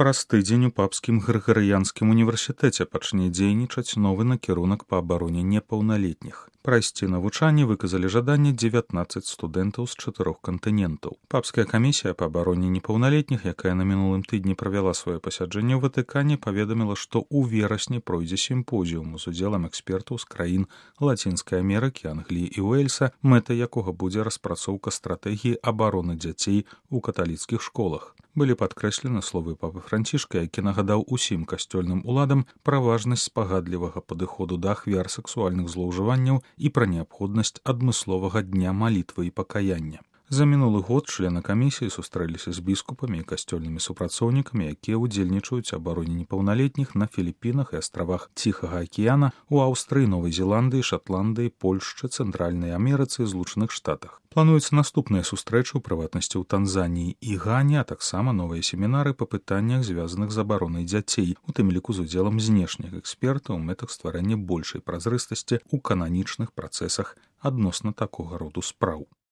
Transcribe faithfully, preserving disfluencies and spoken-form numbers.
Праз тыдзень у папскім грыгарыянскім універсітэце пачне дзейнічаць новы накірунак па абароне непаўналетніх. Прайсці навучанне выказалі жаданне дзевятнаццаць студэнтаў з чатырох кантынентаў. Папская камісія па абароне непаўналетніх, якая на мінулым тыдні правяла сваё пасяджэнне ў Ватыкане, паведаміла, што ў верасні пройдзе сімпозіум з удзелам экспертаў з краін Лацінскай Амерыкі, Англіі і Уэльса, мэтай якога будзе распрацоўка стратэгіі абароны дзяцей у каталіцкіх школах. Былі падкрэслены словы папы Францішка, які нагадаў усім касцёльным уладам пра важнасць спагадлівага падыходу да ахвяр сексуальных злоўжыванняў і пра неабходнасць адмысловага дня малітвы і пакаяння. За мінулы год члены камісіі сустрэліся з біскупамі і касцёльнымі супрацоўнікамі, якія ўдзельнічаюць абароне непаўналетніх на Філіпінах і астравах Ціхага акіяна, у Аўстрыі, Новай Зеландыі, Шатландыі, Польшчы, Цэнтральнай Амерыцы і Злучаных Штатах. Плануюцца наступныя сустрэчы, у прыватнасці ў Танзаніі і Гане, а таксама новыя семінары па пытаннях, звязаных з абаронай дзяцей, у тым ліку з удзелам знешніх экспертаў у мэтах стварэння большай празрыстасці ў кананічных працэсах адносна такога роду спраў.